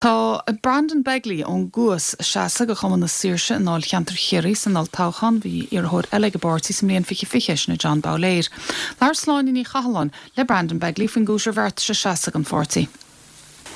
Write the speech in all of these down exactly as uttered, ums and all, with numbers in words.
Tá Brendan Begley ón gCuas ag seasamh do Chumann na Saoirse i ndáilcheantar Chiarraí san olltoghchán bhí iarrthóir eile ag an bpáirtí sa mbliain fiche fiche sin John Bowler. Labhair Sláine Ní Chathalláin le Brendan Begley faoin gcúis ar bheartaigh sé seasamh don pháirtí.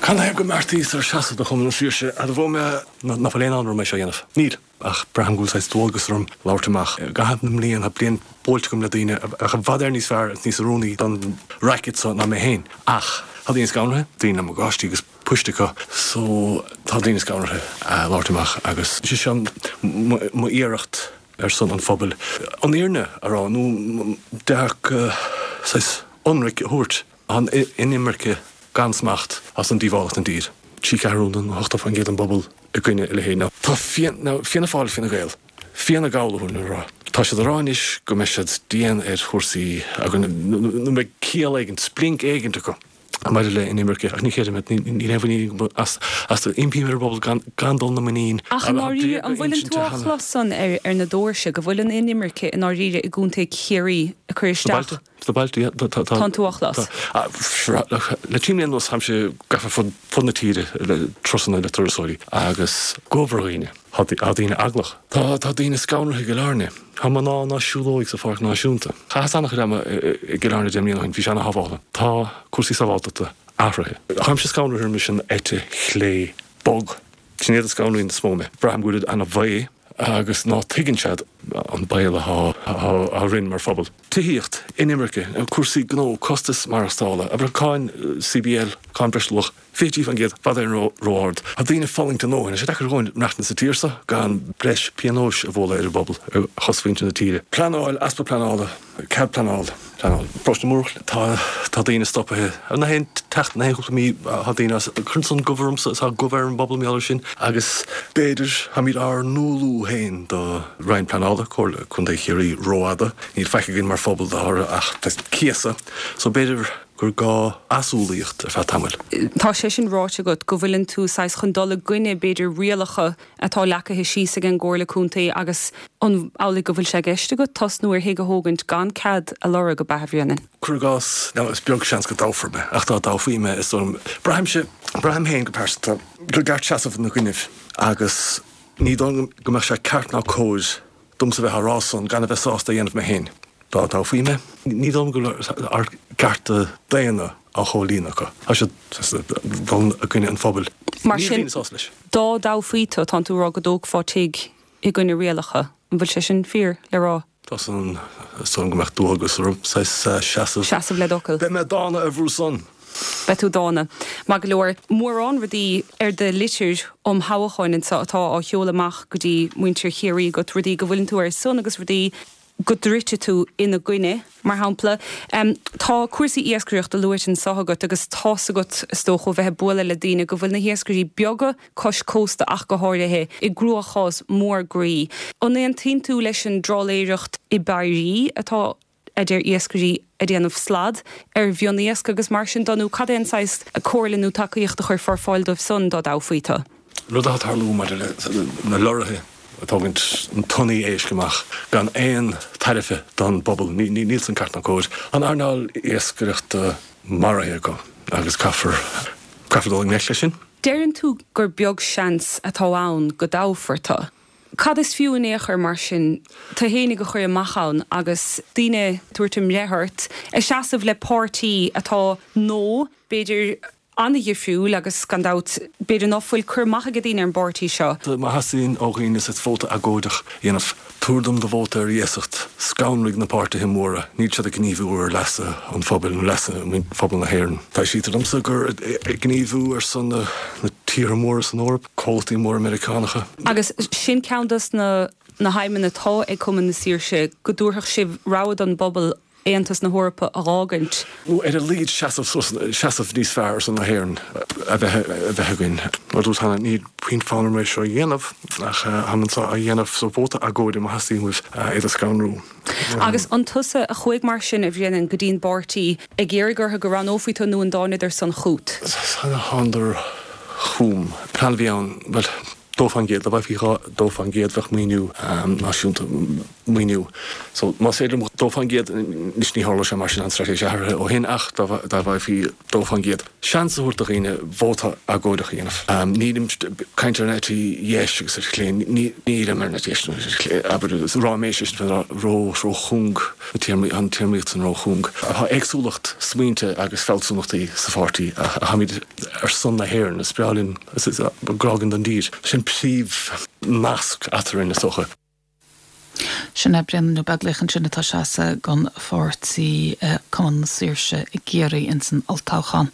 Canathaobh go mbeartaíos ar seasamh do Chumann na Saoirse a bhó me nach bhfuil aon fonn orm é seo a dhéanamh. Níl ach braithim go bhfuil saghas dualgas orm labhairt amach. I gcaitheamh na mblian bliain buailte agam le daoine a i bhfad éireann níos fearr níos oiriúnaí don racket so ná mé féin. Ach tá daoine scanraithe, daoine le morgáistí agus poist acu so tá daoine scanraithe labhairt amach agus sé seo m'iarracht ar son an phobail. An fhírinne a rá nó dearcadh ionraic a thabhairt an inimirce gan smacht as an díobhálach don tír. Trí ceathrú den ochtó faoin gcéad den bpobal i gcoinne a leithéid. Tá Fianna Fáil Fine Gael. Fianna Gall rá. Tá siad ag rá anois go mbeidh siad dian ar chúrsaí nó mbeidh ciall éigin splinc éigin acu. Maidir le inimirce ach ní chéad ní as as impím ar an bpobal gan gan dul na muinín. Ach an bhfuil an tuathchlos san ar ar na doirse go bhfuil an inimirce in áiríre i gContae Chiarraí a chur isteach. Sna bailte Tá an tuathchlos. Le trí mbliana anuas táimse gafa fud fud na tíre le turasanna le turasóirí agus gobh ar dhaoine. Tá daoine eaglach. Tá tá daoine scanraithe i gCill Airne. Tá mná ná siúlóidh sa Pháirc Náisiúnta. Chaitheas an-chuid ama i gCill Airne deich mbliana ó shin bhí sé an-shábháilte. Tá cúrsaí sábháilteachta athraithe. Táimse scanraithe roimis an eite chlé bog. Sin iad a scanraíonn is mó mé. Braithim go bhfuil an-bhaoth agus ná tuigeann siad an baol atá orainn mar phobal. Tithíocht, inimirce, cúrsaí gnó, costas maireachtála, abair cáin CBL, cáin breisluach, fiche trí faoin gcéad, i bhfad Éireann ró-ard. Tá daoine fulaingt a ndóthain, sé deacair dhóinn maireachtaint sa tír seo gan breis pionóis a bhualadh ar an bpobal, ar chosmhuintir na tíre. Pleanáil, easpa pleanála, cead pleanáil, pleanáil. Paróiste Múrach, tá tá daoine stoptha. Na haon teacht na haon chúpla mí tá daoine as cuireann san gobh ormsa tá gobh ar an bpobal mar sin agus b'fhéidir táimid ár n-ullmhú féin do Roinn Pleanála, Comhairle Contae Chiarraí rófhada, níl faic againn mar phobal dá thoradh ach cíosa, so b'fhéidir gur gá asúlaíocht ar feadh tamaill. Tá sé sin ráite agat go bhfuileann tú saghas chun dul i gcoinne b'fhéidir rialacha atá leagtha síos ag an gComhairle Contae agus an amhlaidh go bhfuil sé i gceist agat tosnú ar thigh a thógaint gan cead a lorg ab ea a Bhreandáin. Cuir i gcás now is beag seans go dtoghfar mé ach dá dtoghfaí mé is dóigh liom braithimse braithim féin go pearsanta gur ceart seasamh ina gcoinnibh agus ní dóigh liom go mbeadh sé ceart ná cóir domsa bheith á rá san gan a bheith sásta a dhéanamh mé féin. Dá dtoghfaí mé, ní dóigh liom go bhfuil ár gcearta daonna á chomhlíonadh acu. Tá siad sásta dul i gcoinne an phobail. Mar Níl sin, daoine sásta leis. dá dtoghfaí tú, tánn tú ag rá go dtógfá tigh i gcoinne rialacha. An bhfuil sé sin fíor le rá? Tá san, is dóigh liom go mbeadh dualgas orm saghas seasamh. Seasamh le d'fhocal. Beidh mé dána ar bhrú san. Beidh tú dána. Maith go leor. Mórán rudaí ar do litir um thoghcháin anseo atá á sheoladh amach go dtí muintir Chiarraí agat, rudaí go bhfuileann tú ar son agus rudaí go dtroidfidh tú ina gcoinne, mar shampla. Tá cúrsaí iascaireachta luaite anseo agat agus tá's agat, is dócha, ó bheith ag bualadh le daoine, go bhfuil na hiascairí beaga cois cósta ach go háirithe, i gcruachás mór groí. An aontaíonn tú leis an dtrálaeireacht i bpéirí atá, a deir iascairí, ag déanamh slad ar mhioniasc agus mar sin de nó cad é an saghas comhairle nó tacaíocht a chuirfeá ar fáil dóibh san dá dtoghfaí tú? Rud atá ag tarlú maidir le na lorraithe ag tógaint na tonnaí éisc amach gan aon tairbhe don bpobal, níl san ceart ná cóir. An earnáil iascaireachta maraithe acu agus caithfear caithfear dul i ngleic leis sin. Deireann tú gur beag seans atá ann go dtoghfar tú. Cad is fiú in aon chor mar sin tú fhéinig a chur amach ann agus daoine tabhairt a mbreith ort, ag seasamh le páirtí atá nó, b'fhéidir, an-dhifriúil agus gan dabht, b'fhéidir ná fuil cur amach ag daoine ar an bpáirtí seo. Má theastaíonn ó dhaoine saghas vóta agóideach a dhéanamh, tabhair dom do vóta ar iasacht, scanraigh na páirtithe móra, níl siad ag gníomhú ar leasa an phobail nó leasa phobal na hÉireann. Taibhsítear domsa gur ag gníomhú ar son na tíortha móra san Eoraip, comhlachtaí móra Meiriceánacha. Agus sin ceann dos na na haidhmeanna atá ag Cumann na Saoirse, go dtabharfadh sibh rogha don bpobal Aontas na hEorpa a dh'fhágaint. Nó ar a laghad seasamh suas, seasamh níos fearr ar son na hÉireann a bheith a bheith againn. Mar a dúirt cheana, níl puinn fonn orm é seo a dhéanamh, ach táim anseo á dhéanamh, so vóta agóide má theastaíonn uaibh iad a scanrú. Agus an tusa a chuaigh mar sin, a Bhréanainn, go dtí'n bpáirtí ag iarraidh orthu go roghnófaí tú nó an dtáinadar san chút? Thánadar chugam. Plean a bhí ann, bhuel, dó faoin gcéad, dá bhfaighfí dhá dó faoin gcéad bheadh maoiniú náisiúnta, maoiniú. So más féidir liom dó faoin gcéad, anois ní tharlóidh sé mar sin an straitéis athraithe ó shin ach dá dá bhfaighfí dó faoin gcéad, seans a thabhairt do dhaoine vóta agóideach a dhéanamh. Nílim ag caint ar an eite dheis agus ar chlé, nílim ar an eite dheis nó ar chlé, abair, is ráiméis é sin ró róchúng, na téarmaí, an téarmaíocht san róchúng. Tá éagsúlacht smaointe agus fealsúnachtaí sa pháirtí ach táimid ar son na hÉireann, is breá linn, is grá againn don dtír. Sin príomh-nasc eatarinn is dócha. Sin é Bréanainn Ó Beaglaoich ansin atá ag seasamh don pháirtí Cumann na Saoirse i gCiarraí ins an olltoghchán.